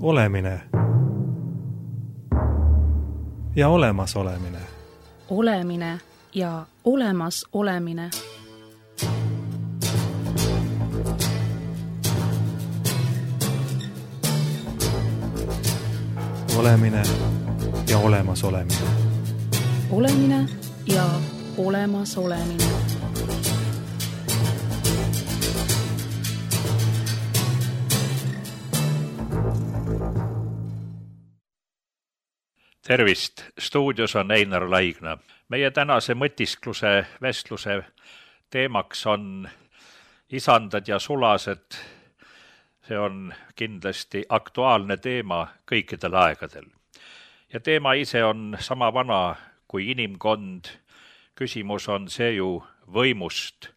Olemine ja olemasolemine. Olemine ja olemasolemine. Olemine ja olemasolemine. Olemine ja olemasolemine. Tervist! Stuudios on Einar Laigna. Meie tänase mõtiskluse vestluse teemaks on isandad ja sulased. See on kindlasti aktuaalne teema kõikidel aegadel. Ja teema ise on sama vana kui inimkond. Küsimus on see ju võimust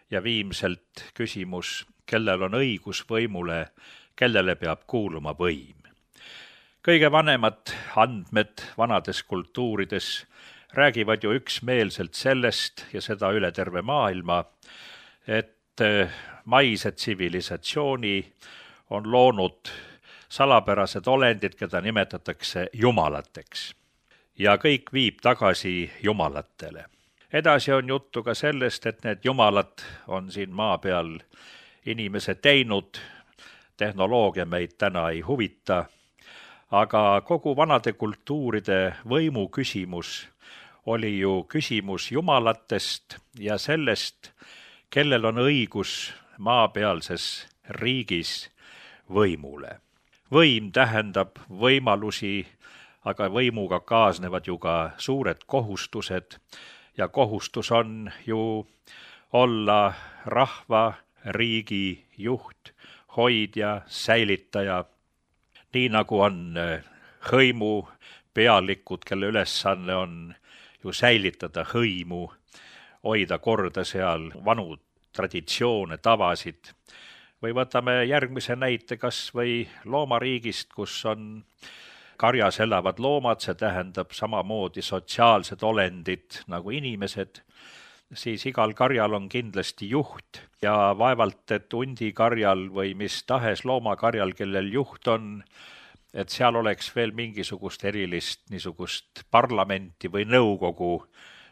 ja viimselt küsimus, kellel on õigus võimule, kellele peab kuuluma võim. Kõige vanemad andmed vanades kultuurides räägivad ju üksmeelselt sellest ja seda üle terve maailma, et maise tsivilisatsiooni on loonud salapärased olendid, keda nimetatakse jumalateks. Ja kõik viib tagasi jumalatele. Edasi on juttu ka sellest, et need jumalad on siin maa peal inimese teinud, tehnoloogia meid täna ei huvita, aga kogu vanade kultuuride võimu küsimus oli ju küsimus jumalatest ja sellest, kellel on õigus maapealses riigis võimule. Võim tähendab võimalusi, aga võimuga kaasnevad ju ka suured kohustused ja kohustus on ju olla rahva, riigi juht, hoidja, säilitaja. Nii nagu on hõimu pealikud, kelle ülesanne on ju säilitada hõimu, hoida korda seal vanu traditsioone, tavasid. Või võtame järgmise näite kas või loomariigist, kus on karjas elavad loomad, see tähendab samamoodi sotsiaalsed olendid nagu inimesed, siis igal karjal on kindlasti juht ja vaevalt, et hundikarjal või mis tahes loomakarjal, kellel juht on, et seal oleks veel mingisugust erilist niisugust parlamenti või nõukogu,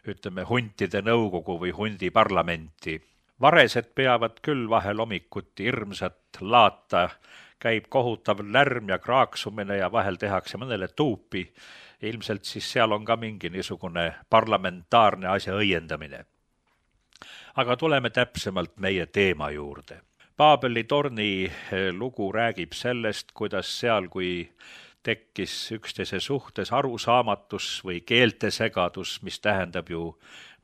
ütleme huntide nõukogu või hundiparlamenti. Varesed peavad küll vahel hommikuti hirmsat laata, käib kohutav lärm ja kraaksumine ja vahel tehakse mõnele tuupi. Ilmselt siis seal on ka mingi niisugune parlamentaarne asja õiendamine. Aga tuleme täpsemalt meie teema juurde. Paabeli torni lugu räägib sellest, kuidas seal, kui tekkis üksteise suhtes arusaamatus või keeltesegadus, mis tähendab ju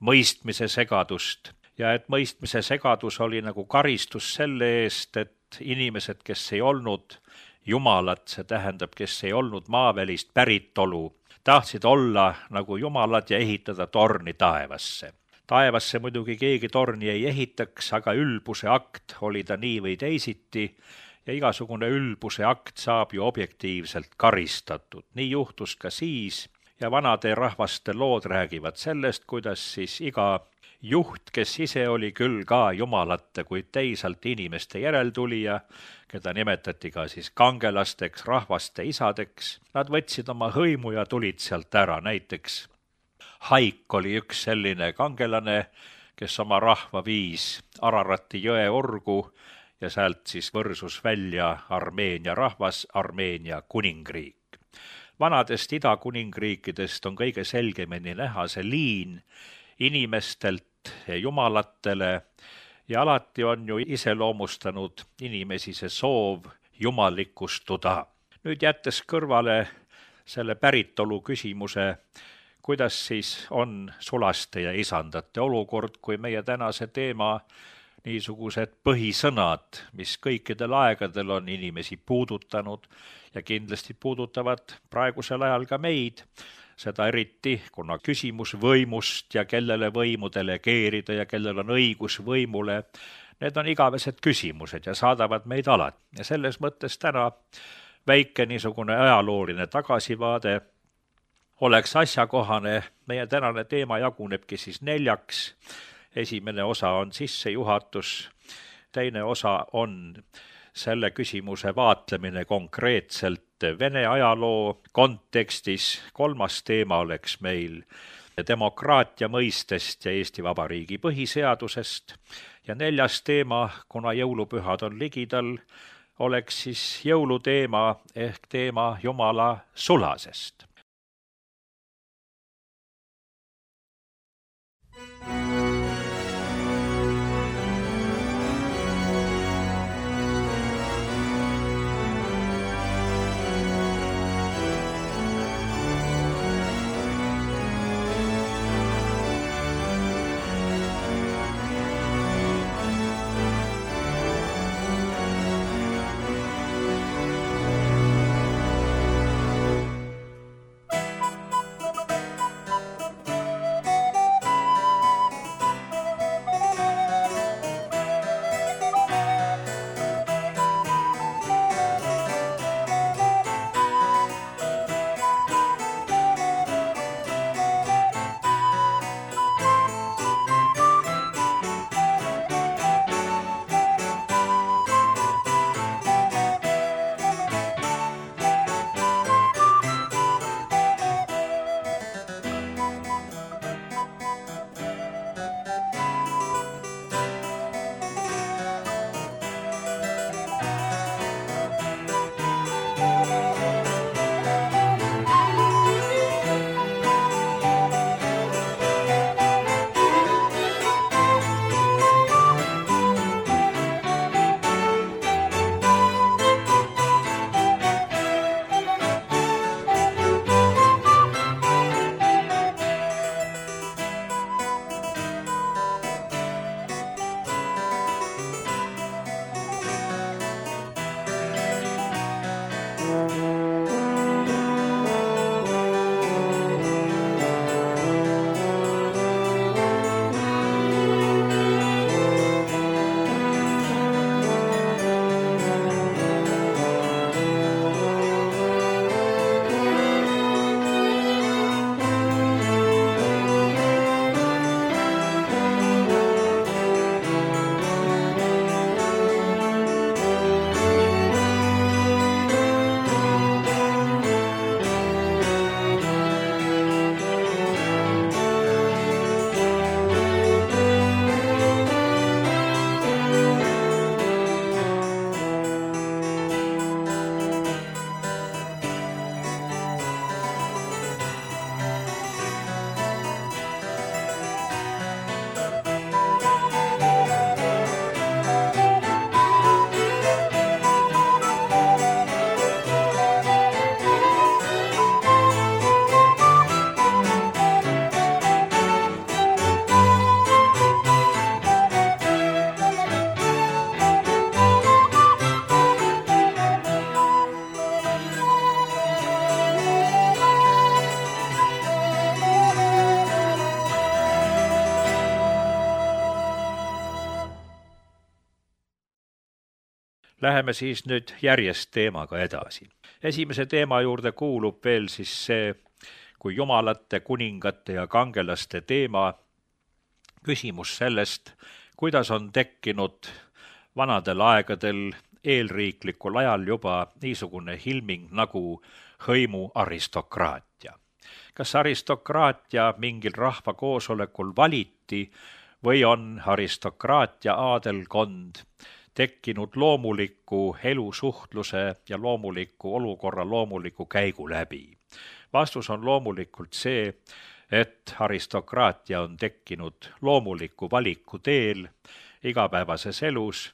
mõistmise segadust. Ja et mõistmise segadus oli nagu karistus selle eest, et inimesed, kes ei olnud jumalad, see tähendab, kes ei olnud maavälist päritolu, tahtsid olla nagu jumalad ja ehitada torni taevasse. Taevasse muidugi keegi torni ei ehitaks, aga ülbuse akt oli ta nii või teisiti ja igasugune ülbuse akt saab ju objektiivselt karistatud. Nii juhtus ka siis ja vanade rahvaste lood räägivad sellest, kuidas siis iga juht, kes ise oli küll ka jumalate, kuid teisalt inimeste järeltulija, keda nimetati ka siis kangelasteks, rahvaste isadeks, nad võtsid oma hõimu ja tulid sealt ära, näiteks Haik oli üks selline kangelane, kes oma rahva viis Ararati jõe orgu ja sealt siis võrsus välja Armeenia rahvas, Armeenia kuningriik. Vanadest idakuningriikidest on kõige selgemini näha see liin inimestelt jumalatele ja alati on ju iseloomustanud inimesi see soov jumalikustuda. Nüüd jättes kõrvale selle päritolu küsimuse, kuidas siis on sulaste ja isandate olukord, kui meie tänase teema niisugused põhisõnad, mis kõikidel aegadel on inimesi puudutanud ja kindlasti puudutavad praegusel ajal ka meid, seda eriti, kuna küsimus võimust ja kellele võimu delegeerida ja kellel on õigus võimule, need on igavesed küsimused ja saadavad meid alati. Ja selles mõttes täna väike niisugune ajalooline tagasivaade oleks asjakohane. Meie tänane teema jagunebki siis 4. Esimene osa on sissejuhatus, teine osa on selle küsimuse vaatlemine konkreetselt Vene ajaloo kontekstis, 3. teema oleks meil demokraatia mõistest ja Eesti Vabariigi põhiseadusest ja 4. teema, kuna jõulupühad on ligidal, oleks siis jõuluteema ehk teema Jumala sulasest. Läheme siis nüüd järjest teemaga edasi. Esimese teema juurde kuulub veel siis see, kui jumalate, kuningate ja kangelaste teema, küsimus sellest, kuidas on tekkinud vanadel aegadel eelriiklikul ajal juba niisugune ilming nagu hõimu aristokraatia. Kas aristokraatia mingil rahvakoosolekul valiti või on aristokraatia aadelkond tekkinud loomuliku elusuhtluse ja loomuliku olukorra loomuliku käigu läbi? Vastus on loomulikult see, et aristokraatia on tekkinud loomuliku valiku teel igapäevases elus.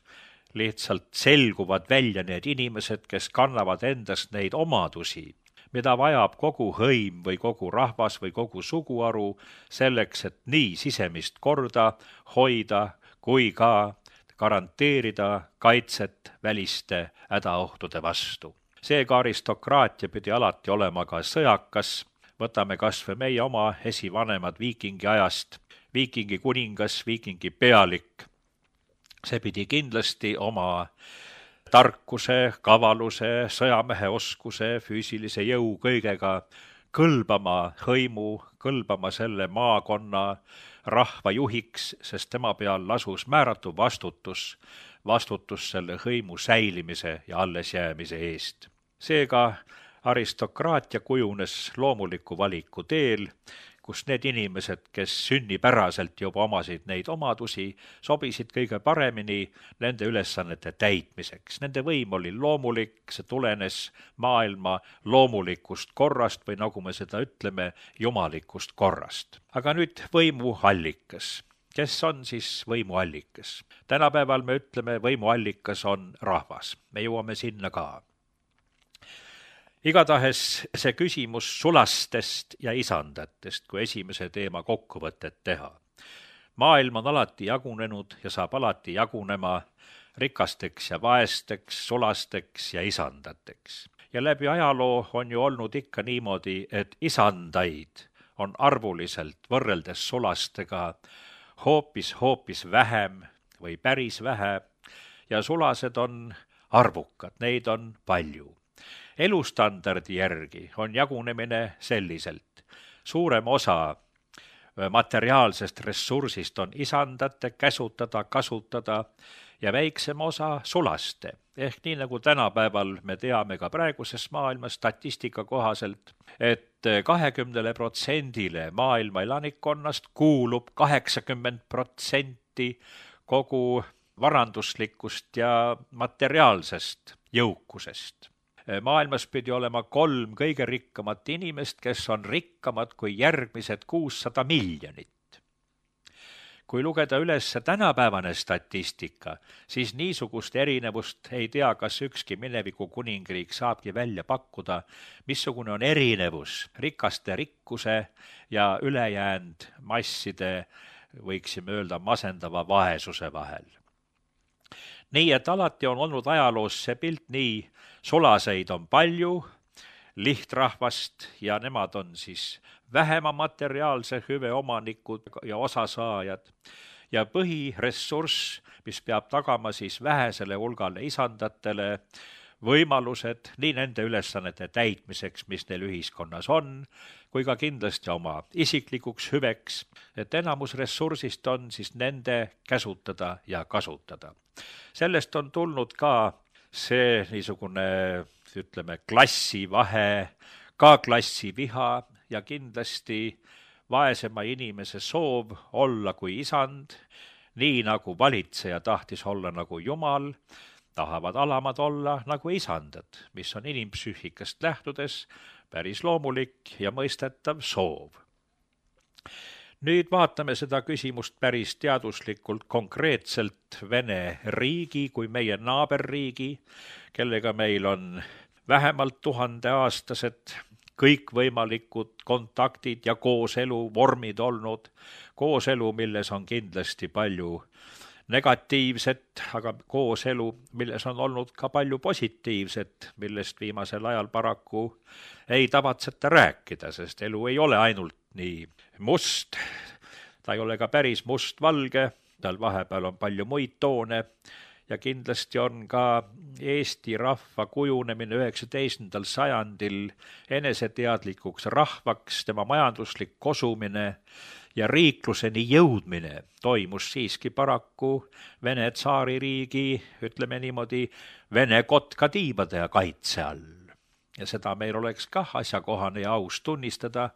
Lihtsalt selguvad välja need inimesed, kes kannavad endast neid omadusi, mida vajab kogu hõim või kogu rahvas või kogu suguharu selleks, et nii sisemist korda hoida kui ka garanteerida kaitset väliste hädaohtude vastu. Seega aristokraatia pidi alati olema ka sõjakas. Võtame kas või meie oma esivanemad viikingi ajast, viikingi kuningas, viikingi pealik. See pidi kindlasti oma tarkuse, kavaluse, sõjamehe oskuse, füüsilise jõu kõigega kõlbama hõimu, kõlbama selle maakonna rahva juhiks, sest tema peal lasus määratu vastutus selle hõimu säilimise ja allesjäämise eest. Seega aristokraatia kujunes loomuliku valiku teel, kus need inimesed, kes sünnipäraselt juba omasid neid omadusi, sobisid kõige paremini nende ülesannete täitmiseks. Nende võim oli loomulik, see tulenes maailma loomulikust korrast või nagu me seda ütleme, jumalikust korrast. Aga nüüd võimuallikas. Kes on siis võimuallikas? Tänapäeval me ütleme, võimuallikas on rahvas. Me jõuame sinna ka. Igatahes see küsimus sulastest ja isandatest, kui esimese teema kokkuvõtet teha. Maailm on alati jagunenud ja saab alati jagunema rikasteks ja vaesteks, sulasteks ja isandateks. Ja läbi ajaloo on ju olnud ikka niimoodi, et isandaid on arvuliselt võrreldes sulastega hoopis vähem või päris vähe ja sulased on arvukad, neid on palju. Elustandardi järgi on jagunemine selliselt. Suurem osa materiaalsest ressursist on isandate käsutada, kasutada ja väiksem osa sulaste. Ehk nii nagu tänapäeval me teame ka praeguses maailmas statistika kohaselt, et 20% maailma elanikkonnast kuulub 80% kogu varanduslikust ja materiaalsest jõukusest. Maailmas pidi olema 3 kõige rikkamat inimest, kes on rikkamad kui järgmised 600 miljonit. Kui lugeda üles tänapäevane statistika, siis niisugust erinevust ei tea, kas ükski mineviku kuningriik saabki välja pakkuda, missugune on erinevus rikaste rikkuse ja ülejäänud masside, võiksime öelda, masendava vaesuse vahel. Nii et alati on olnud ajaloos see pilt nii, sulaseid on palju, lihtrahvast ja nemad on siis vähema materiaalse hüve omanikud ja osasaajad ja põhiressurss, mis peab tagama siis vähesele hulgale isandatele võimalused nii nende ülesannete täitmiseks, mis neil ühiskonnas on, kui ka kindlasti oma isiklikuks hüveks, et enamus ressursist on siis nende käsutada ja kasutada. Sellest on tulnud ka see niisugune, ütleme, klassivahe, ka klassiviha ja kindlasti vaesema inimese soov olla kui isand, nii nagu valitseja tahtis olla nagu Jumal, tahavad alamad olla nagu isandad, mis on inimpsüühikast lähtudes päris loomulik ja mõistetav soov. Nüüd vaatame seda küsimust päris teaduslikult konkreetselt Vene riigi kui meie naaberriigi, kellega meil on vähemalt 1000-aastased kõikvõimalikud kontaktid ja kooselu vormid olnud, kooselu, milles on kindlasti palju negatiivset, aga kooselu, milles on olnud ka palju positiivset, millest viimasel ajal paraku ei tavatseta rääkida, sest elu ei ole ainult nii must, ta ei ole ka päris must-valge, tal vahepeal on palju muid toone ja kindlasti on ka Eesti rahva kujunemine 19. sajandil eneseteadlikuks rahvaks, tema majanduslik kosumine ja riikluseni jõudmine toimus siiski paraku Vene tsaaririigi, ütleme niimoodi, Vene kotkatiibade ja kaitse all. Ja seda meil oleks kah asjakohane ja aus tunnistada,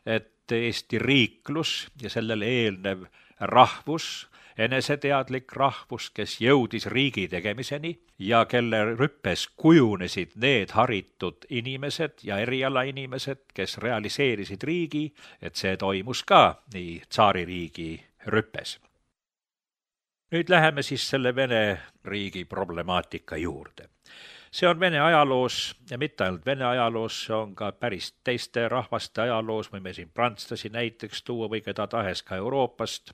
et Eesti riiklus ja sellele eelnev rahvus, eneseteadlik rahvus, kes jõudis riigi tegemiseni ja kelle rüppes kujunesid need haritud inimesed ja erialainimesed, kes realiseerisid riigi, et see toimus ka nii tsaaririigi rüppes. Nüüd läheme siis selle Vene riigi problemaatika juurde. See on Vene ajaloos ja mitte ainult Vene ajaloos, see on ka päris teiste rahvaste ajaloos, võime siin prantslasi näiteks tuua või keda tahes ka Euroopast,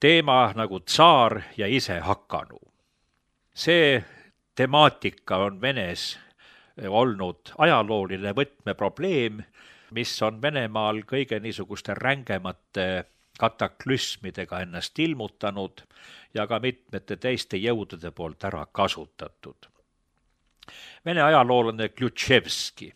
teema nagu tsaar ja isehakanu. See temaatika on Venes olnud ajalooline võtmeprobleem, mis on Venemaal kõige niisuguste rängemate kataklüsmidega ennast ilmutanud ja ka mitmete teiste jõudude poolt ära kasutatud. Vene ajaloolane Klutševski,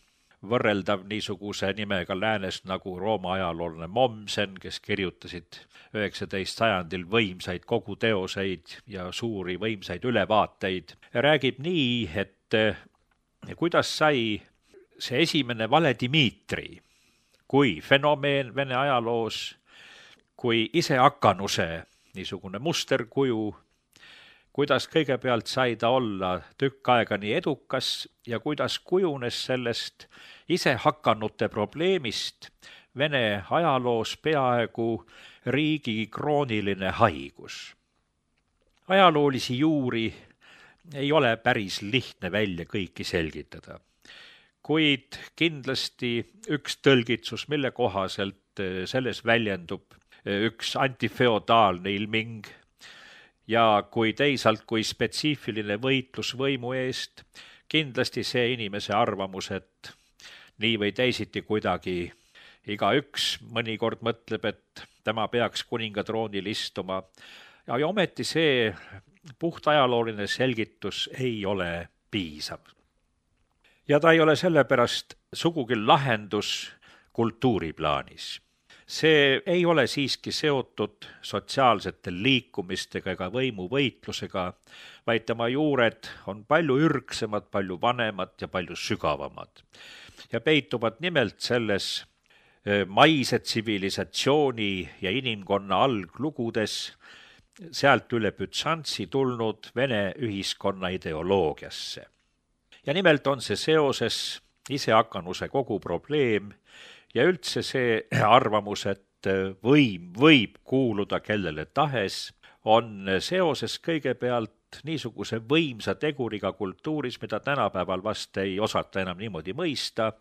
võrreldav niisuguse nimega läänes nagu Rooma ajaloolane Mommsen, kes kirjutasid 19. sajandil võimsaid koguteoseid ja suuri võimsaid ülevaateid, räägib nii, et kuidas sai see esimene vale Dmitri kui fenomeen Vene ajaloos, kui isehakkanuse niisugune musterkuju, kuidas kõigepealt sai ta olla tükk aega nii edukas ja kuidas kujunes sellest isehakkanute probleemist Vene ajaloos peaaegu riigi krooniline haigus. Ajaloolisi juuri ei ole päris lihtne välja kõiki selgitada, kuid kindlasti üks tõlgitsus, mille kohaselt selles väljendub üks antifeodaalne ilming ja kui teisalt kui spetsiifiline võitlus võimu eest, kindlasti see inimese arvamus, et nii või teisiti kuidagi igaüks mõnikord mõtleb, et tema peaks kuningatroonil istuma ja ometi see puht ajalooline selgitus ei ole piisav. Ja ta ei ole sellepärast sugugi lahendus kultuuriplaanis. See ei ole siiski seotud sotsiaalsete liikumistega ega võimuvõitlusega, vaid tema juured on palju ürgsemad, palju vanemad ja palju sügavamad. Ja peituvad nimelt selles maise tsivilisatsiooni ja inimkonna alglugudes, sealt üle Bütsantsi tulnud Vene ühiskonna ideoloogiasse. Ja nimelt on see seoses isehakkanuse kogu probleem ja üldse see arvamus, et võim võib kuuluda kellele tahes, on seoses kõigepealt niisuguse võimsa teguriga kultuuris, mida tänapäeval vast ei osata enam niimoodi mõista,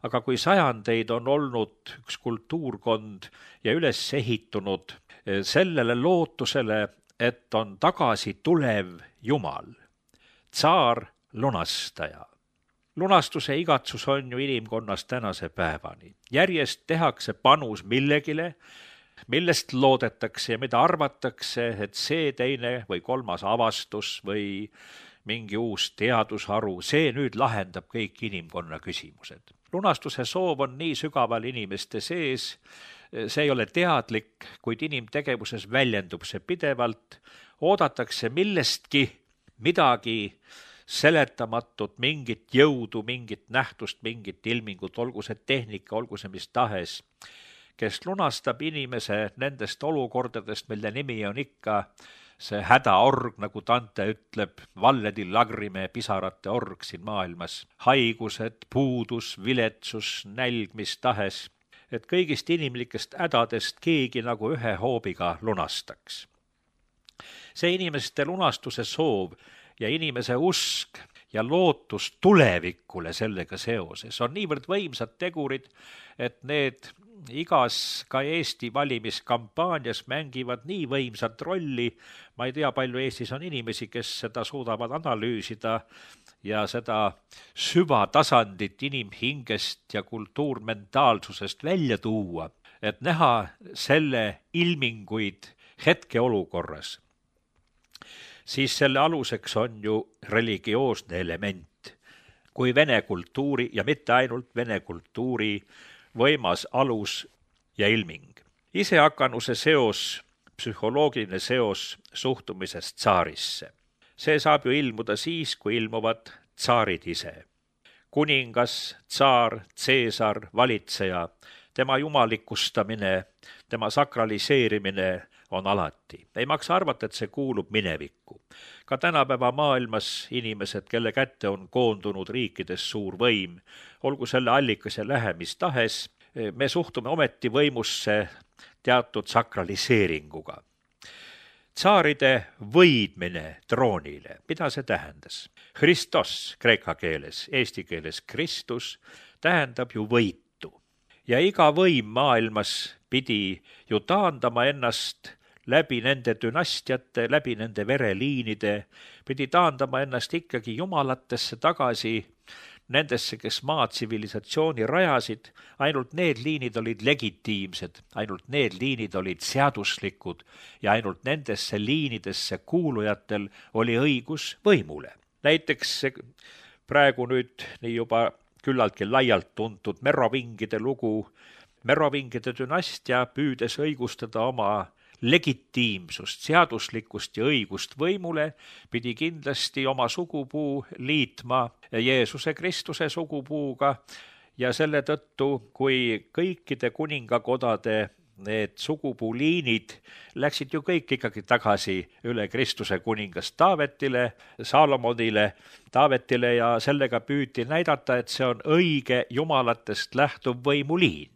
aga kui sajandeid on olnud üks kultuurkond ja üles ehitunud sellele lootusele, et on tagasi tulev Jumal, tsaar, lunastaja. Lunastuse igatsus on ju inimkonnas tänase päevani. Järjest tehakse panus millegile, millest loodetakse ja mida arvatakse, et see teine või kolmas avastus või mingi uus teadusharu, see nüüd lahendab kõik inimkonna küsimused. Lunastuse soov on nii sügaval inimeste sees, see ei ole teadlik, kuid inimtegevuses väljendub see pidevalt, oodatakse millestki midagi seletamatut, mingit jõudu, mingit nähtust, mingit ilmingut, olgu see tehnika, olgu see mis tahes, kes lunastab inimese nendest olukordadest, mille nimi on ikka see hädaorg, nagu Dante ütleb, valledi lagrime pisarate org siin maailmas, haigused, puudus, viletsus, nälg, mis tahes, et kõigist inimlikest hädadest keegi nagu ühe hoobiga lunastaks. See inimeste lunastuse soov ja inimese usk ja lootus tulevikule sellega seoses on niivõrd võimsad tegurid, et need igas ka Eesti valimiskampaanias mängivad nii võimsat rolli, ma ei tea, palju Eestis on inimesi, kes seda suudavad analüüsida ja seda süvatasandit inimhingest ja kultuurmentaalsusest välja tuua, et näha selle ilminguid hetkeolukorras, siis selle aluseks on ju religioosne element, kui vene kultuuri ja mitte ainult vene kultuuri võimas alus ja ilming. Isehakkanuse seos, psühholoogiline seos suhtumisest tsaarisse. See saab ju ilmuda siis, kui ilmuvad tsaarid ise. Kuningas, tsaar, tseesar, valitseja, tema jumalikustamine, tema sakraliseerimine on alati. Ei maksa arvata, et see kuulub minevikku. Ka tänapäeva maailmas inimesed, kelle kätte on koondunud riikides suur võim, olgu selle allikas ja lähemis tahes, me suhtume ometi võimusse teatud sakraliseeringuga. Tsaaride võidmine troonile, mida see tähendas? Christos kreeka keeles, eesti keeles Kristus, tähendab ju võitu. Ja iga võim maailmas pidi ju taandama ennast läbi nende dünastiate, läbi nende vereliinide, pidi taandama ennast ikkagi jumalatesse tagasi, nendesse, kes maatsivilisatsiooni rajasid, ainult need liinid olid legitiimsed, ainult need liinid olid seaduslikud ja ainult nendesse liinidesse kuulujatel oli õigus võimule. Näiteks praegu nüüd nii juba küllaltki laialt tuntud Merovingide lugu, Merovingide dünastia püüdes õigustada oma legitiimsust, seaduslikkust ja õigust võimule, pidi kindlasti oma sugupuu liitma Jeesuse Kristuse sugupuuga ja selle tõttu, kui kõikide kuningakodade need sugupuuliinid läksid ju kõik ikkagi tagasi üle Kristuse kuningast Taavetile, Saalomonile, Taavetile ja sellega püüti näidata, et see on õige jumalatest lähtuv võimuliin.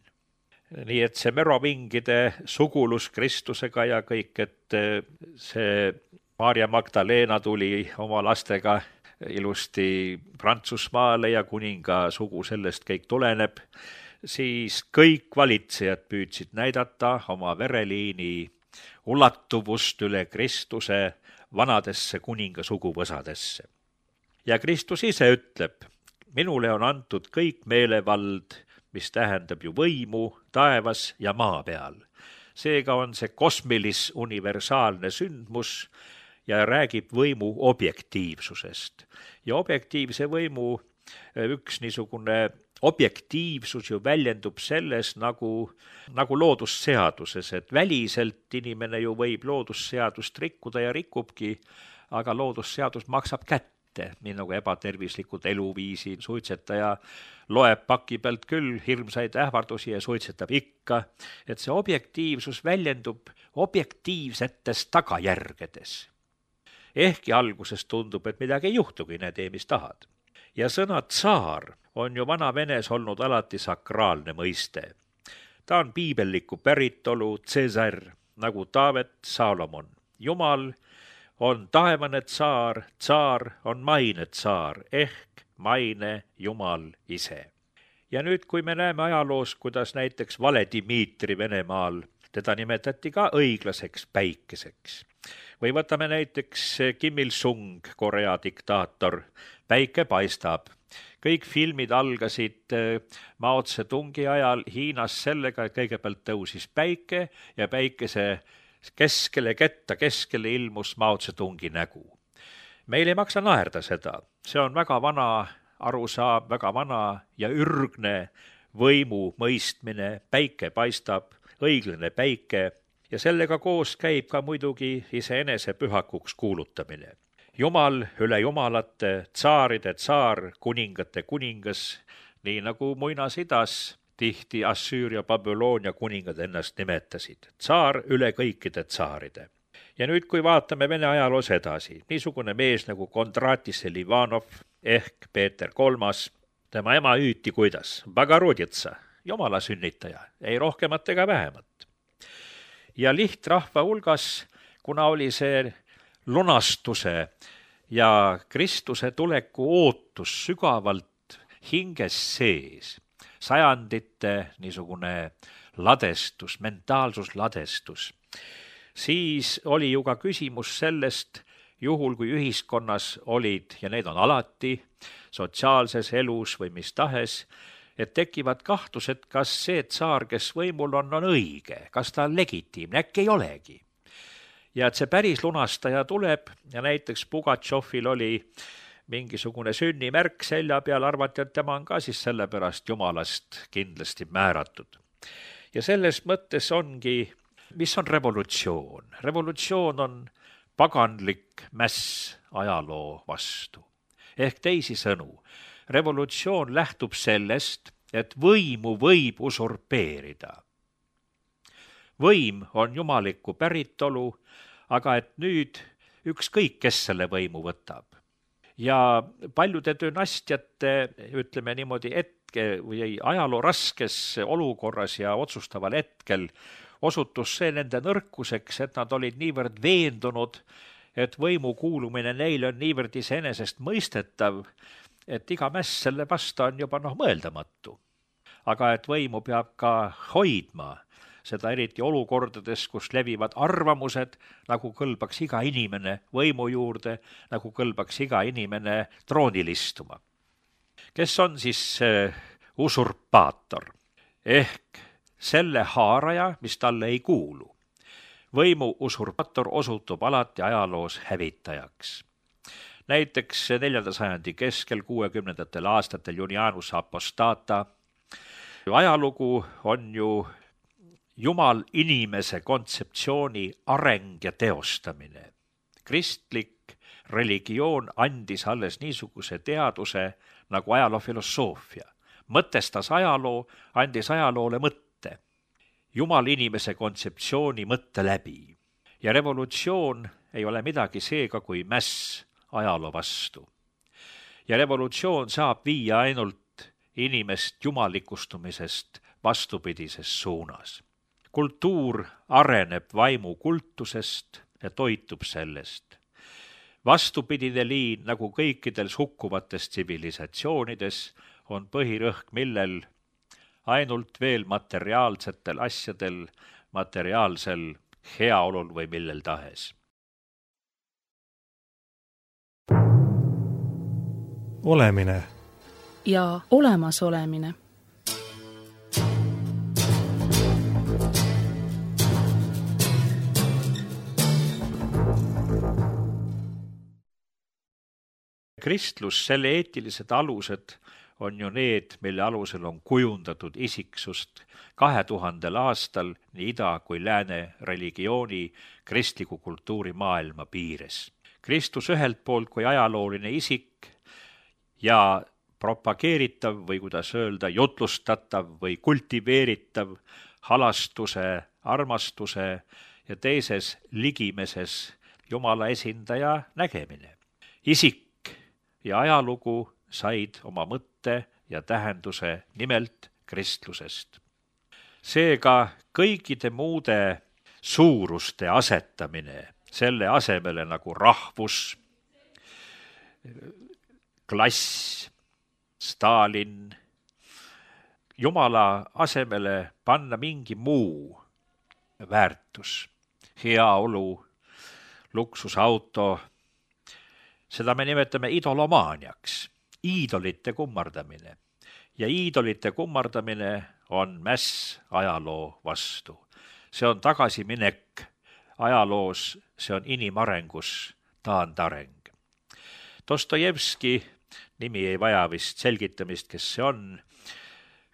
Nii et see merovingide sugulus Kristusega ja kõik, et see Maarja Magdalena tuli oma lastega ilusti Prantsusmaale ja kuninga sugu sellest kõik tuleneb, siis kõik valitsejad püüdsid näidata oma vereliini ulatuvust üle Kristuse vanadesse kuninga suguvõsadesse. Ja Kristus ise ütleb, minule on antud kõik meelevald, mis tähendab ju võimu taevas ja maa peal. Seega on see kosmilis universaalne sündmus ja räägib võimu objektiivsusest. Ja objektiivse võimu üks niisugune objektiivsus ju väljendub selles nagu loodusseaduses, et väliselt inimene ju võib loodusseadust rikkuda ja rikubki, aga loodusseadus maksab kätte, nii nagu ebatervislikud eluviisi suitsetaja loeb paki pealt küll hirmsaid ähvardusi ja suitsetab ikka, et see objektiivsus väljendub objektiivsetes tagajärgedes. Ehkki alguses tundub, et midagi ei juhtugi, ne tee, mis tahad. Ja sõna tsaar on ju vana Venes olnud alati sakraalne mõiste. Ta on piibelliku päritolu Cäsar, nagu Taavet Saalomon. Jumal on taevane tsaar, tsaar on maine tsaar ehk maine Jumal ise. Ja nüüd, kui me näeme ajaloos, kuidas näiteks Vale Dmitri Venemaal, teda nimetati ka õiglaseks päikeseks. Või võtame näiteks Kim Il-sung, Korea diktaator, päike paistab. Kõik filmid algasid Mao Tse-tungi ajal Hiinas sellega, et kõigepealt tõusis päike ja päikese keskele ilmus Mao Tse-tungi nägu. Meil ei maksa naerda seda. See on väga vana arusaam, väga vana ja ürgne võimu mõistmine. Päike paistab, õiglane päike ja sellega koos käib ka muidugi iseenese pühakuks kuulutamine. Jumal üle jumalate, tsaaride tsaar, kuningate kuningas, nii nagu muinasidas tihti Assüüria, Babyloonia kuningad ennast nimetasid. Tsaar üle kõikide tsaaride. Ja nüüd, kui vaatame Vene ajaloos edasi, niisugune mees nagu Kondratis Selivanov ehk Peeter III, tema ema hüüti kuidas? Bagaroditsa, jumala sünnitaja, ei rohkemat ega vähemat. Ja lihtrahva hulgas, kuna oli see lunastuse ja Kristuse tuleku ootus sügavalt hinges sees, sajandite niisugune ladestus, mentaalsusladestus, siis oli ju ka küsimus sellest, juhul kui ühiskonnas olid, ja need on alati, sotsiaalses elus või mis tahes, et tekivad kahtlused, kas see tsaar, kes võimul on õige, kas ta on legitiimne, äkki ei olegi. Ja et see päris lunastaja tuleb ja näiteks Pugatšovil oli mingisugune sünnimärk selja peal, arvati, et tema on ka siis sellepärast jumalast kindlasti määratud. Ja selles mõttes ongi, mis on revolutsioon? Revolutsioon on paganlik mäss ajaloo vastu. Ehk teisisõnu, revolutsioon lähtub sellest, et võimu võib usurpeerida. Võim on jumaliku päritolu, aga et nüüd ükskõik, kes selle võimu võtab. Ja paljude dünastiate, ütleme niimoodi, või ajaloo raskes olukorras ja otsustaval hetkel osutus see nende nõrkuseks, et nad olid niivõrd veendunud, et võimu kuulumine neile on niivõrd iseenesest mõistetav, et iga mäss selle vasta on juba mõeldamatu. Aga et võimu peab ka hoidma, seda eriti olukordades, kus levivad arvamused, nagu kõlbaks iga inimene võimu juurde, nagu kõlbaks iga inimene troonil istuma. Kes on siis usurpaator? Ehk selle haaraja, mis talle ei kuulu. Võimu usurpaator osutub alati ajaloos hävitajaks. Näiteks 4. sajandi keskel 60. aastatel Junianus Apostata. Ajalugu on ju Jumal inimese kontseptsiooni areng ja teostamine. Kristlik religioon andis alles niisuguse teaduse nagu ajaloofilosoofia. Mõtestas ajaloo, andis ajaloole mõtte. Jumal inimese kontseptsiooni mõtte läbi. Ja revolutsioon ei ole midagi seega kui mäss ajaloo vastu. Ja revolutsioon saab viia ainult inimest jumalikustumisest vastupidises suunas. Kultuur areneb vaimu kultusest ja toitub sellest. Vastupidine liin, nagu kõikidel hukkuvates tsivilisatsioonides, on põhirõhk, millel ainult veel materiaalsetel asjadel, materiaalsel heaolul või millel tahes. Olemine ja olemasolemine. Kristlus, selle eetilised alused on ju need, mille alusel on kujundatud isiksust 2000 aastal nii ida kui lääne religiooni kristliku kultuuri maailma piires. Kristus ühelt poolt kui ajalooline isik ja propageeritav või kuidas öelda, jutlustatav või kultiveeritav halastuse, armastuse ja teises ligimeses Jumala esindaja nägemine. Isik ja ajalugu said oma mõtte ja tähenduse nimelt kristlusest. Seega kõikide muude suuruste asetamine selle asemele nagu rahvus, klass, Stalin, Jumala asemele panna mingi muu väärtus, heaolu, luksusauto, seda me nimetame idolomaaniaks, iidolite kummardamine. Ja iidolite kummardamine on mäss ajaloo vastu. See on tagasiminek ajaloos, see on inimarengus taandareng. Dostojevski, nimi ei vaja vist selgitamist, kes see on,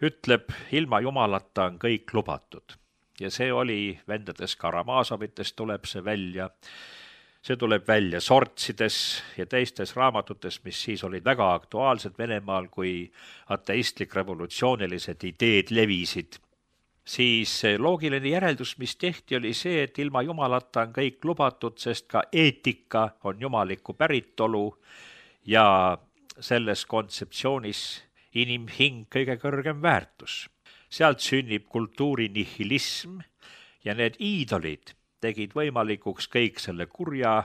ütleb, ilma jumalata on kõik lubatud. Ja see oli, vendades Karamazovitest tuleb see välja. See tuleb välja sortsides ja teistes raamatutes, mis siis olid väga aktuaalsed Venemaal, kui ateistlik revolutsioonilised ideed levisid. Siis loogiline järeldus, mis tehti, oli see, et ilma jumalata on kõik lubatud, sest ka eetika on jumaliku päritolu ja selles kontseptsioonis inimhing kõige kõrgem väärtus. Sealt sünnib kultuuri nihilism ja need iidolid tegid võimalikuks kõik selle kurja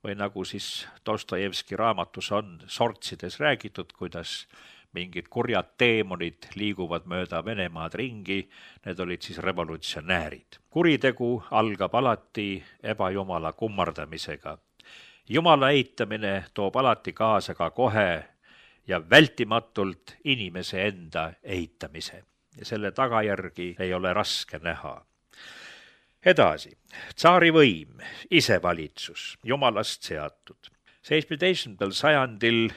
või nagu siis Dostojevski raamatus on sortsides räägitud, kuidas mingid kurjad teemonid liiguvad mööda Venemaad ringi, need olid siis revolutsionäärid. Kuritegu algab alati ebajumala kummardamisega. Jumala eitamine toob alati kaasa ka kohe ja vältimatult inimese enda eitamise ja selle tagajärgi ei ole raske näha. Edasi, tsaari võim, isevalitsus, jumalast seatud. 17. sajandil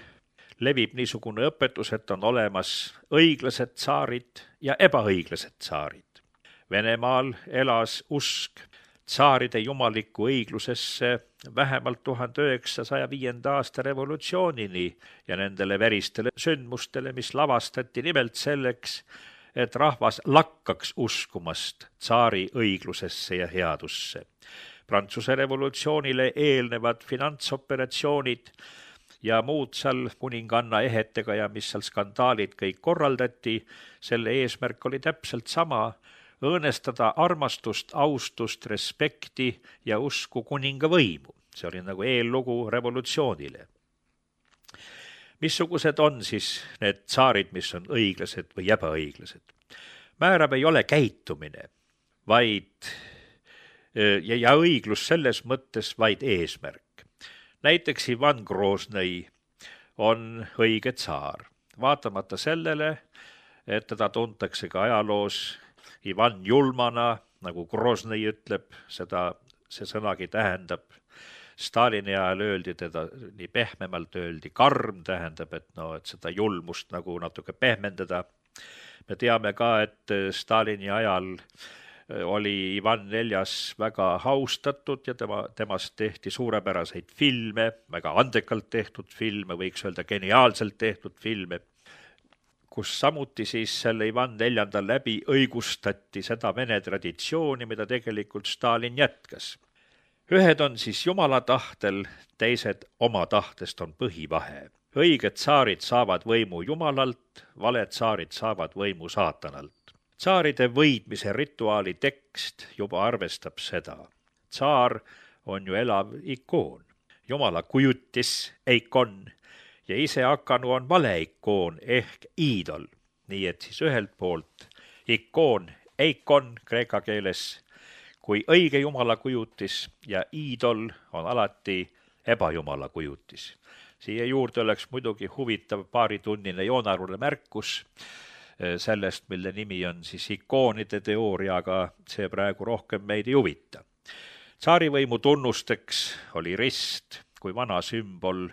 levib niisugune õpetus, et on olemas õiglased tsaarid ja ebaõiglased tsaarid. Venemaal elas usk tsaaride jumalikku õiglusesse vähemalt 1905. aasta revolutsioonini ja nendele veristele sündmustele, mis lavastati nimelt selleks, et rahvas lakkaks uskumast tsaari õiglusesse ja headusse. Prantsuse revolutsioonile eelnevad finantsoperatsioonid ja muud seal kuninganna ehetega ja mis seal skandaalid kõik korraldati, selle eesmärk oli täpselt sama, õõnestada armastust, austust, respekti ja usku kuninga võimu. See oli nagu eellugu revolutsioonile. Missugused on siis need tsaarid, mis on õiglased või ebaõiglased? Määrab ei ole käitumine, vaid ja õiglus selles mõttes vaid eesmärk. Näiteks Ivan Groznõi on õige tsaar, vaatamata sellele, et teda tuntakse ka ajaloos Ivan julmana, nagu Groznõi ütleb, see sõnagi tähendab. Stalini ajal öeldi teda nii pehmemalt, öeldi karm, tähendab, et seda julmust nagu natuke pehmendada. Me teame ka, et Stalini ajal oli Ivan IV väga austatud ja temast tehti suurepäraseid filme, väga andekalt tehtud filme, võiks öelda geniaalselt tehtud filme, kus samuti siis selle Ivan IV läbi õigustati seda Vene traditsiooni, mida tegelikult Stalin jätkas. Ühed on siis Jumala tahtel, teised oma tahtest on põhivahe. Õiged tsaarid saavad võimu Jumalalt, valed tsaarid saavad võimu saatanalt. Tsaaride võidmise rituaali tekst juba arvestab seda. Tsaar on ju elav ikoon, Jumala kujutis, eikon, ja ise hakanu on valeikoon ehk iidol. Nii et siis ühelt poolt ikoon, eikon kreeka keeles, kui õige Jumala kujutis ja iidol on alati ebajumala kujutis. Siia juurde oleks muidugi huvitav paaritunnine joonaruline märkus sellest, mille nimi on siis ikoonide teooria, aga see praegu rohkem meid ei huvita. Tsaarivõimu tunnusteks oli rist kui vana sümbol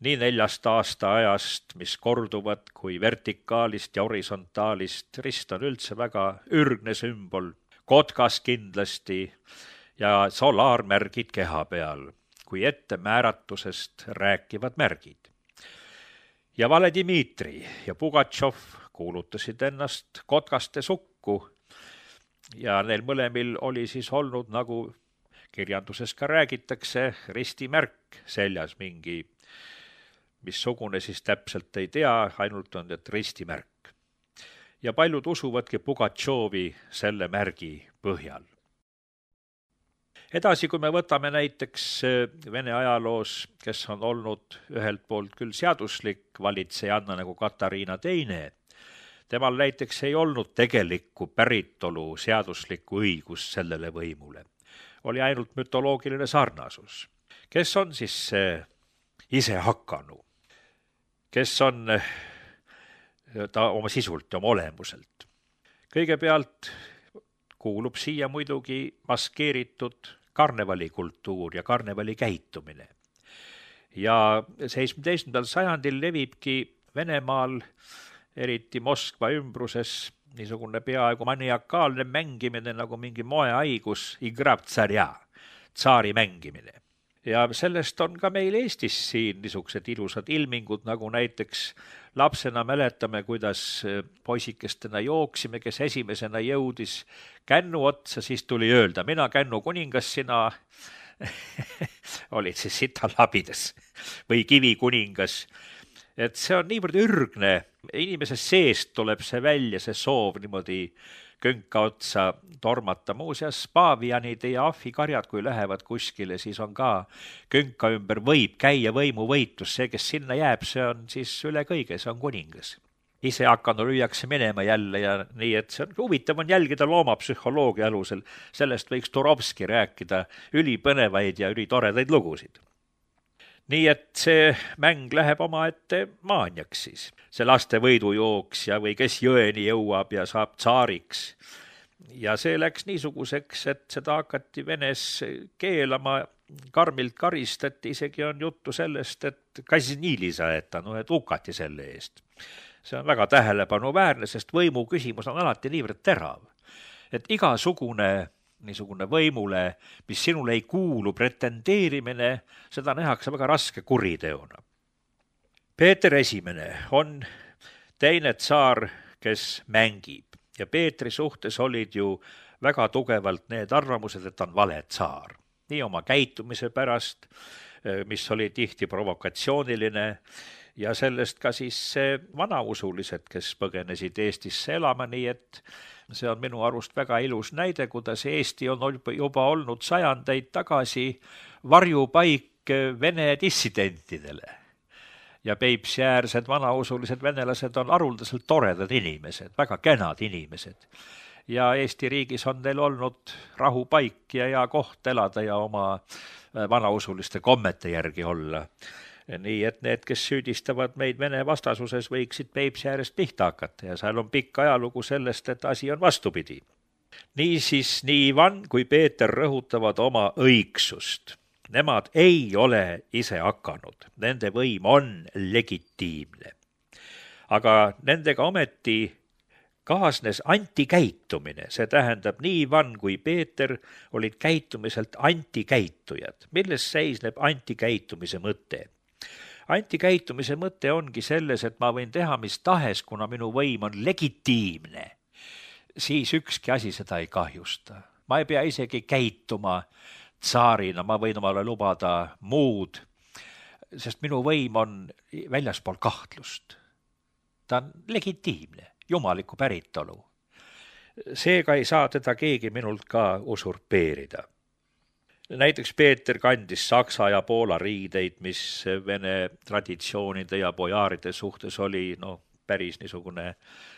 nii 4 aastaajast, mis korduvad, kui vertikaalist ja horisontaalist. Rist on üldse väga ürgne sümbol, kotkas kindlasti ja solaarmärgid keha peal, kui ettemääratusest rääkivad märgid. Ja Vale Dmitri ja Pugatšov kuulutasid ennast kotkaste sukku ja neil mõlemil oli siis olnud, nagu kirjanduses ka räägitakse, ristimärk seljas mingi, missugune siis täpselt ei tea, ainult on et ristimärk. Ja paljud usuvadki Pugatšovi selle märgi põhjal. Edasi, kui me võtame näiteks Vene ajaloos, kes on olnud ühelt poolt küll seaduslik valitsejanna nagu Katariina II, temal näiteks ei olnud tegelikku päritolu seaduslikku õigust sellele võimule. Oli ainult mütoloogiline sarnasus. Kes on siis see isehakanu? Kes on ta oma sisult ja oma olemuselt? Kõigepealt kuulub siia muidugi maskeeritud karnevalikultuur ja karnevali käitumine. Ja 17. sajandil levibki Venemaal, eriti Moskva ümbruses, niisugune peaaegu maniakaalne mängimine nagu mingi moehaigus, igrab tsarja, tsaari mängimine. Ja sellest on ka meil Eestis siin niisugused ilusad ilmingud, nagu näiteks lapsena mäletame, kuidas poisikestena jooksime, kes esimesena jõudis kännu otsa, siis tuli öelda, mina kännu kuningas, sina olid siis sitalabides või kivi kuningas. Et see on niivõrd ürgne, inimese seest tuleb see välja, see soov niimoodi könka otsa tormata. Muuseas, paavianid ja ahvikarjad, kui lähevad kuskile, siis on ka könka ümber võib käia võimuvõitlus. See, kes sinna jääb, see on siis üle kõige, see on kuningas. Ise hakanud lüüakse minema jälle ja nii, et see on huvitav on jälgida loomapsühholoogia alusel. Sellest võiks Turovski rääkida ülipõnevaid ja ülitoredaid lugusid. Nii et see mäng läheb omaette maaniaks siis. See laste võidujooks ja või kes jõeni jõuab ja saab tsaariks. Ja see läks niisuguseks, et seda hakati Venes keelama, karmilt karistati, isegi on juttu sellest, et kasinili saeta, et hukati selle eest. See on väga tähelepanuväärne, sest võimu küsimus on alati niivõrd terav. Et igasugune niisugune võimule, mis sinule ei kuulu, pretendeerimine, seda nähakse väga raske kuriteona. Peeter I on teine tsaar, kes mängib ja Peetri suhtes olid ju väga tugevalt need arvamused, et on vale tsaar. Nii oma käitumise pärast, mis oli tihti provokatsiooniline ja sellest ka siis vanausulised, kes põgenesid Eestisse elama, nii et see on minu arust väga ilus näide, kuidas Eesti on juba olnud sajandeid tagasi varjupaik Vene dissidentidele. Ja Peipsiäärsed vanausulised venelased on haruldaselt toredad inimesed, väga kenad inimesed. Ja Eesti riigis on neil olnud rahupaik ja hea koht elada ja oma vanausuliste kommete järgi olla. Nii et need, kes süüdistavad meid Vene vastasuses, võiksid Peipsi äärest pihta hakata ja seal on pikk ajalugu sellest, et asi on vastupidi. Niisiis nii Ivan kui Peeter rõhutavad oma õigsust. Nemad ei ole ise hakanud, nende võim on legitiimne. Aga nendega ometi kaasnes antikäitumine, see tähendab, nii Ivan kui Peeter olid käitumiselt antikäitujad. Milles seisneb antikäitumise mõte? Antikäitumise mõte ongi selles, et ma võin teha mis tahes, kuna minu võim on legitiimne, siis ükski asi seda ei kahjusta. Ma ei pea isegi käituma tsaarina, ma võin omale lubada muud, sest minu võim on väljaspool kahtlust. Ta on legitiimne, jumalikku päritolu. Seega ei saa teda keegi minult ka usurpeerida. Näiteks Peeter kandis Saksa ja Poola riideid, mis vene traditsioonide ja bojaaride suhtes oli päris niisugune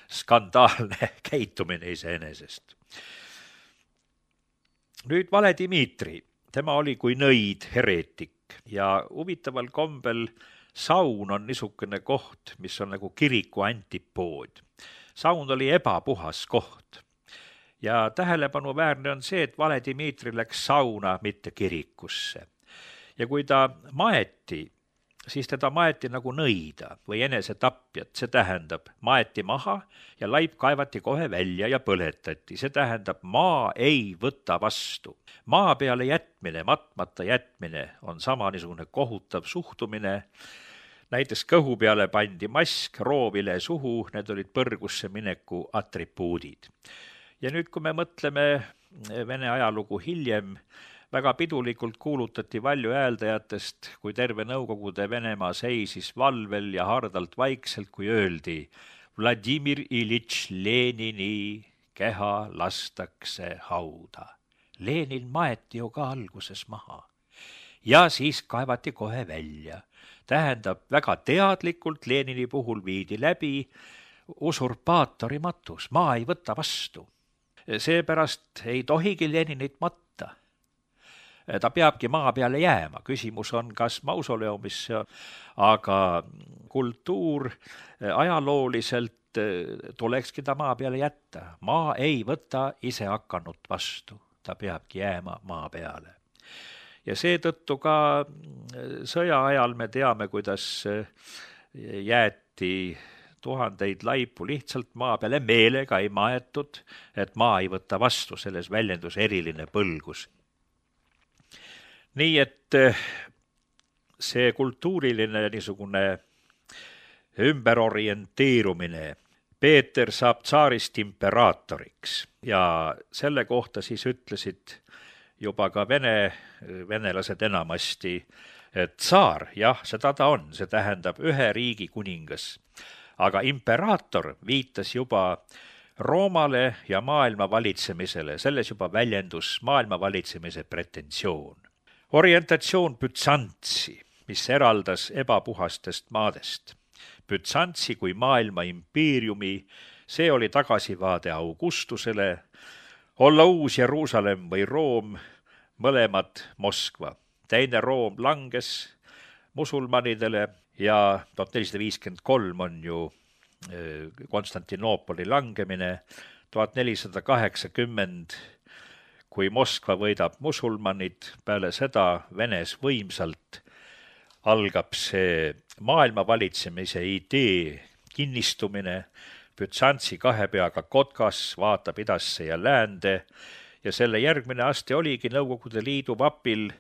skandaalne käitumine iseenesest. Nüüd Vale Dmitri, tema oli kui nõid hereetik ja huvitaval kombel saun on niisugune koht, mis on nagu kiriku antipood. Saun oli ebapuhas koht. Ja tähelepanuväärne on see, et Vale Dmitri läks sauna, mitte kirikusse. Ja kui ta maeti, siis teda maeti nagu nõida või enesetapjat, see tähendab, maeti maha ja laip kaevati kohe välja ja põletati. See tähendab, maa ei võta vastu. Maa peale jätmine, matmata jätmine on sama niisugune kohutav suhtumine. Näiteks kõhu peale pandi mask, roovile suhu, need olid põrgusse mineku atribuudid. Ja nüüd, kui me mõtleme Vene ajalugu hiljem, väga pidulikult kuulutati valju hääldajatest, kui terve Nõukogude Venemaa seisis valvel ja hardalt vaikselt, kui öeldi Vladimir Ilitš Lenini keha lastakse hauda. Lenin maeti ju ka alguses maha. Ja siis kaevati kohe välja. Tähendab, väga teadlikult Lenini puhul viidi läbi usurpaatori matus. Maa ei võta vastu. Seepärast ei tohigi Leninit matta. Ta peabki maa peale jääma. Küsimus on, kas mausoleumisse, aga kultuur ajalooliselt tulekski ta maa peale jätta. Maa ei võta ise hakanud vastu. Ta peabki jääma maa peale. Ja seetõttu ka sõja ajal me teame, kuidas jäeti tuhandeid laipu lihtsalt maa peale, meelega ei maetud, et maa ei võta vastu, selles väljendus eriline põlgus. Nii et see kultuuriline niisugune ümberorienteerumine, Peeter saab tsaarist imperaatoriks ja selle kohta siis ütlesid juba ka venelased enamasti, et tsaar, jah, seda ta on, see tähendab ühe riigi kuningas. Aga imperaator viitas juba Roomale ja maailma valitsemisele, selles juba väljendus maailma valitsemise pretensioon. Orientatsioon Bütsantsi, mis eraldas ebapuhastest maadest. Bütsantsi kui maailma impeeriumi, see oli tagasivaade Augustusele, olla uus Jeruusalemm või Room, mõlemad Moskva. Teine Room langes musulmanidele ja 1453 on ju Konstantinoopoli langemine, 1480, kui Moskva võidab musulmanid, peale seda Venes võimsalt algab see maailma valitsemise idee kinnistumine, Bütsantsi kahe peaga kotkas vaatab idasse ja läände ja selle järgmine aste oligi Nõukogude Liidu vapil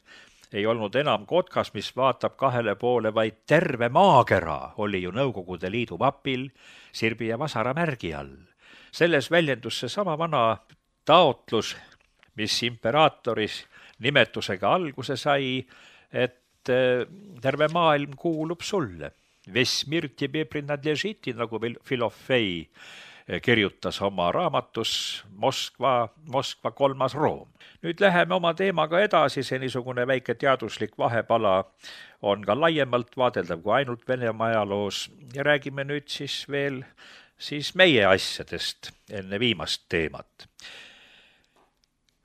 ei olnud enam kotkas, mis vaatab kahele poole, vaid terve maakera oli ju Nõukogude Liidu vapil sirbi ja vasara märgi all. Selles väljendus see sama vana taotlus, mis imperaatoris nimetusega alguse sai, et terve maailm kuulub sulle. Весь мир тебе принадлежит, nagu Filofei kirjutas oma raamatus Moskva 3. Room. Nüüd läheme oma teemaga edasi, see niisugune väike teaduslik vahepala on ka laiemalt vaadeldav kui ainult Venemaa ajaloos ja räägime nüüd siis veel meie asjadest enne viimast teemat.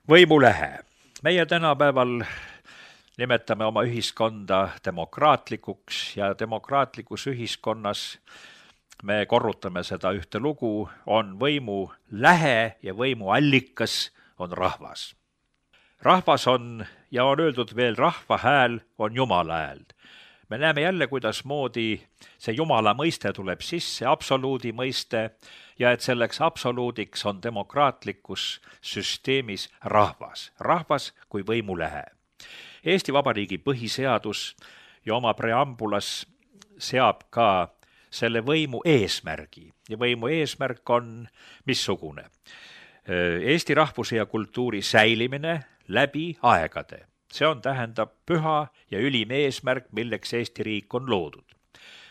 Võimulähe. Meie tänapäeval nimetame oma ühiskonda demokraatlikuks ja demokraatlikus ühiskonnas me korrutame seda ühte lugu, on võimu lähe ja võimu allikas on rahvas. Rahvas on, ja on öeldud veel, rahva hääl on Jumala hääl. me näeme jälle, kuidas moodi see Jumala mõiste tuleb sisse, absoluudi mõiste, ja et selleks absoluudiks on demokraatlikus süsteemis rahvas kui võimulehe. Eesti Vabariigi põhiseadus ja oma preambulas seab ka selle võimu eesmärgi ja võimu eesmärk on missugune? Eesti rahvuse ja kultuuri säilimine läbi aegade. See tähendab püha ja ülim eesmärk, milleks Eesti riik on loodud.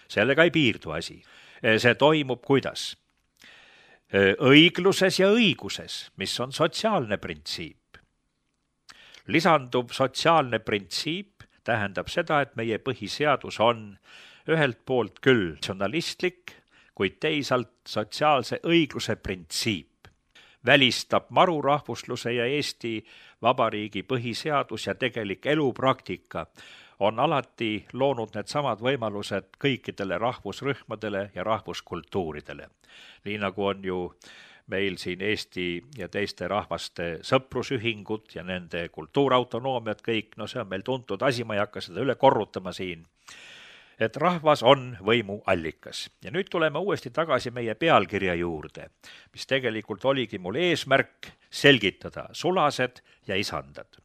Sellega ei piirdu asi. See toimub kuidas? Õigluses ja õiguses, mis on sotsiaalne printsiip. Lisanduv sotsiaalne printsiip tähendab seda, et meie põhiseadus on ühelt poolt küll natsionalistlik, kuid teisalt sotsiaalse õigluse printsiip. Välistab marurahvusluse ja Eesti Vabariigi põhiseadus ja tegelik elupraktika on alati loonud need samad võimalused kõikidele rahvusrühmadele ja rahvuskultuuridele. Nii nagu on ju meil siin Eesti ja teiste rahvaste sõprusühingud ja nende kultuurautonoomiad kõik, see on meil tuntud asi, ma ei hakka seda üle korrutama siin. Et rahvas on võimu allikas. Ja nüüd tuleme uuesti tagasi meie pealkirja juurde, mis tegelikult oligi mul eesmärk selgitada sulased ja isandad.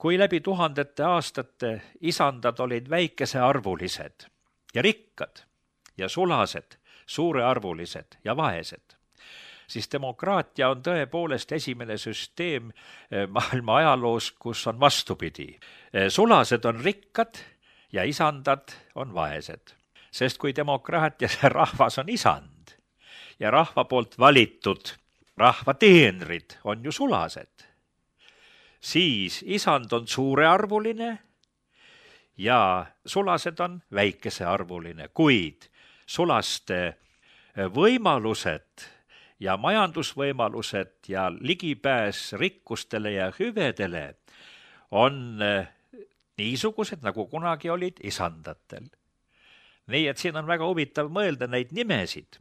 Kui läbi tuhandete aastate isandad olid väikesearvulised ja rikkad ja sulased suurearvulised ja vaesed, siis demokraatia on tõepoolest esimene süsteem maailma ajaloos, kus on vastupidi. Sulased on rikkad ja isandad on vaesed. Sest kui demokraatias rahvas on isand ja rahva poolt valitud rahva teenrid on ju sulased, siis isand on suurearvuline ja sulased on väikesearvuline, kuid sulaste võimalused ja majandusvõimalused ja ligipääs rikkustele ja hüvedele on niisugused, nagu kunagi olid isandatel. Nii et siin on väga huvitav mõelda neid nimesid.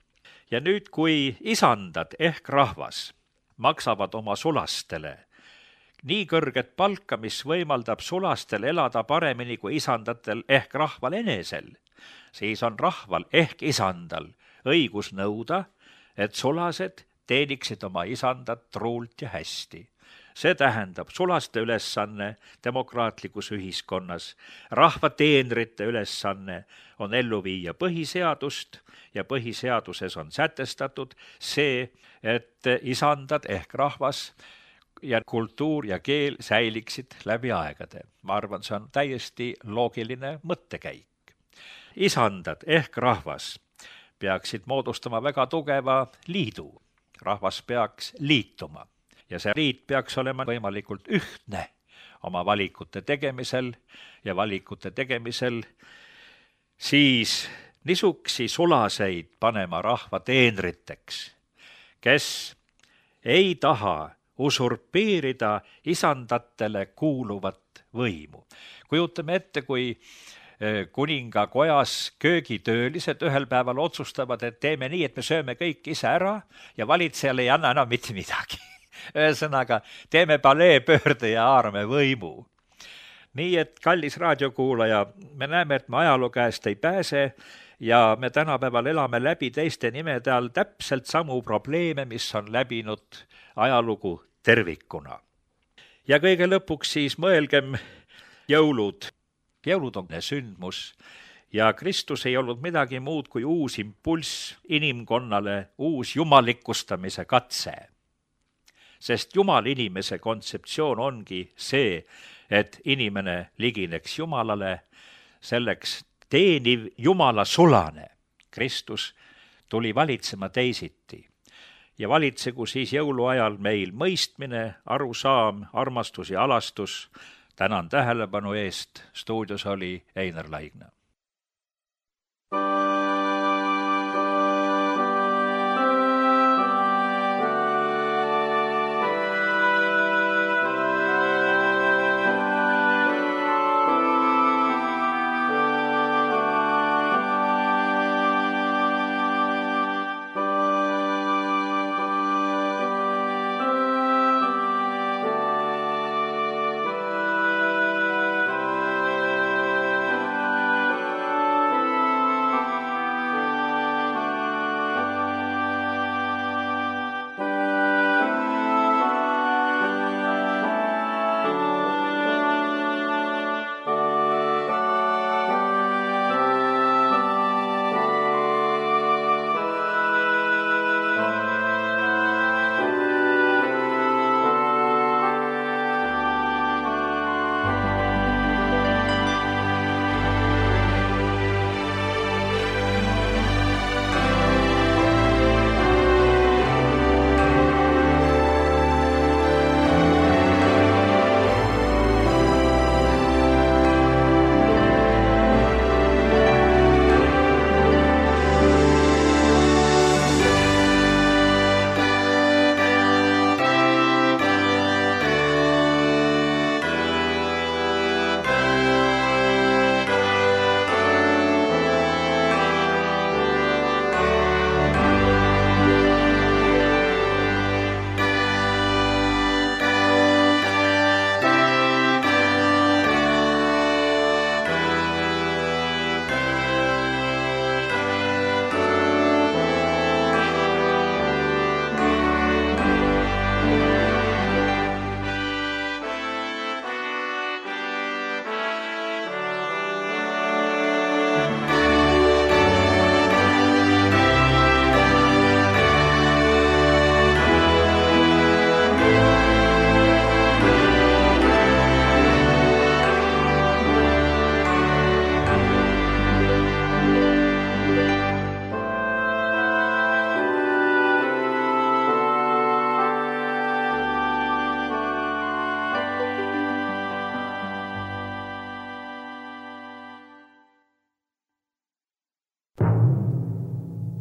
Ja nüüd, kui isandad ehk rahvas maksavad oma sulastele nii kõrget palka, mis võimaldab sulastel elada paremini kui isandatel ehk rahval enesel, siis on rahval ehk isandal õigus nõuda, et sulased teeniksid oma isandat truult ja hästi. See tähendab sulaste ülesanne demokraatlikus ühiskonnas. Rahva teenrite ülesanne on ellu viia põhiseadust ja põhiseaduses on sätestatud see, et isandad ehk rahvas ja kultuur ja keel säiliksid läbi aegade. Ma arvan, see on täiesti loogiline mõttekäik. Isandad ehk rahvas peaksid moodustama väga tugeva liidu. Rahvas peaks liituma. Ja see liit peaks olema võimalikult ühtne oma valikute tegemisel ja valikute tegemisel siis nisuksi sulaseid panema rahva teenriteks, kes ei taha usurpeerida isandatele kuuluvat võimu. Kujutame ette, kui kuningakojas köögitöölised ühel päeval otsustavad, et teeme nii, et me sööme kõik ise ära ja valitsejale ei anna enam mitte midagi. Ühesõnaga, teeme paleepöörde ja haarame võimu. Nii et, kallis raadiokuulaja, me näeme, et me ajaloo käest ei pääse ja me tänapäeval elame läbi teiste nimede all täpselt samu probleeme, mis on läbinud ajalugu tervikuna. Ja kõige lõpuks siis mõelgem jõulud. Jõulud on sündmus ja Kristus ei olnud midagi muud kui uus impulss inimkonnale, uus jumalikustamise katse. Sest Jumal inimese kontseptsioon ongi see, et inimene ligineks Jumalale, selleks teeniv Jumala sulane. Kristus tuli valitsema teisiti ja valitsegu siis jõuluajal meil mõistmine, arusaam, armastus ja alastus. Tänan tähelepanu eest, stuudios oli Einar Laigna.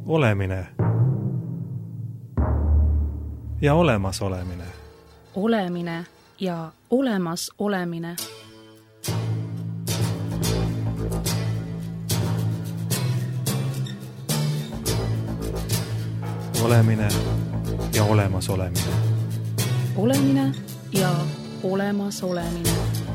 olemine ja olemasolemine. Olemine ja olemasolemine. Olemine ja olemasolemine. Olemine ja olemasolemine.